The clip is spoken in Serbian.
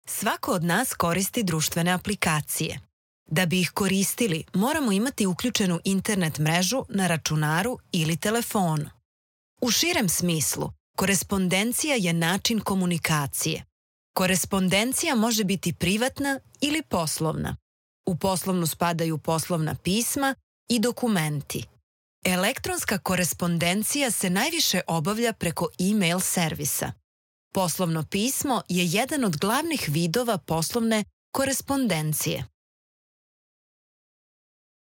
Svako od nas koristi društvene aplikacije. Da bi ih koristili, moramo imati uključenu internet mrežu na računaru ili telefonu. U širem smislu, korespondencija je način komunikacije. Korespondencija može biti privatna ili poslovna. U poslovnu spadaju poslovna pisma i dokumenti. Elektronska korespondencija se najviše obavlja preko e-mail servisa. Poslovno pismo je jedan od glavnih vidova poslovne korespondencije.